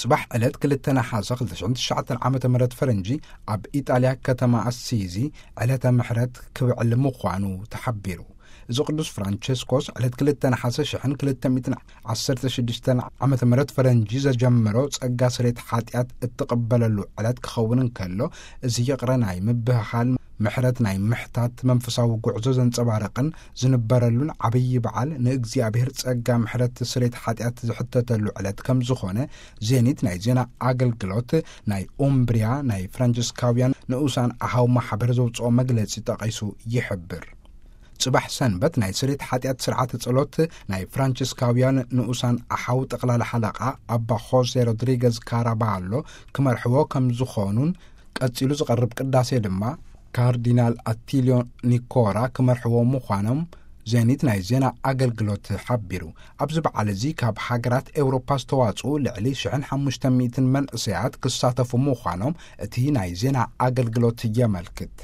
ጽባሕ ዕለት ክልተ ነሓሰ ክልተ ሽሕን ትሽዓተን ዓመተ ምህረት ፈረንጂ፣ ኣብ ኢጣልያ ከተማ ኣሲዚ ዕለተ ምሕረት ክብዕል ምዃኑ ተሓቢሩ። እዚ ቅዱስ ፍራንቸስኮስ ዕለት ክልተ ነሓሰ ሽሕን ክልተ ሚእትን ዓሰርተ ሽዱሽተን ዓመተ ምህረት ፈረንጂ ዘጀመሮ ጸጋ ስሬት ሓጢኣት እትቕበለሉ ዕለት ክኸውን እንከሎ፣ እዚ ይቕረ ናይ ምብህሃል፣ ምሕረት ናይ ምሕታት መንፈሳዊ ጉዕዞ ዘንጸባርቕን ዝንበረሉን ዓብዪ በዓል፣ ንእግዚኣብሔር ጸጋ ምሕረት ስሬት ሓጢኣት ዝሕተተሉ ዕለት ከም ዝኾነ ዜኒት ናይ ዜና ኣገልግሎት ናይ ኡምብሪያ ናይ ፍራንቸስካውያን ንኡሳን ኣሃው ማሕበር ዘውፅኦ መግለጺ ጠቒሱ ይሕብር። ጽባሕ ሰንበት ናይ ስሬት ሓጢኣት ስርዓተ ጸሎት ናይ ፍራንቸስካውያን ንኡሳን ኣሓው ጠቕላላ ሓለቓ ኣባ ሆሴ ሮድሪገዝ ካራባሎ ክመርሕዎ ከም ዝኾኑን፣ ቀጺሉ ዝቐርብ ቅዳሴ ድማ ካርዲናል ኣቲልዮ ኒኮራ ክመርሕዎ ምዃኖም ዜኒት ናይ ዜና ኣገልግሎት ሓቢሩ። ኣብዚ በዓል እዚ ካብ ሃገራት ኤውሮፓ ዝተዋጽኡ ልዕሊ ሽሕን ሓሙሽተ ሚእትን መንእሰያት ክሳተፉ ምዃኖም እቲ ናይ ዜና ኣገልግሎት የመልክት።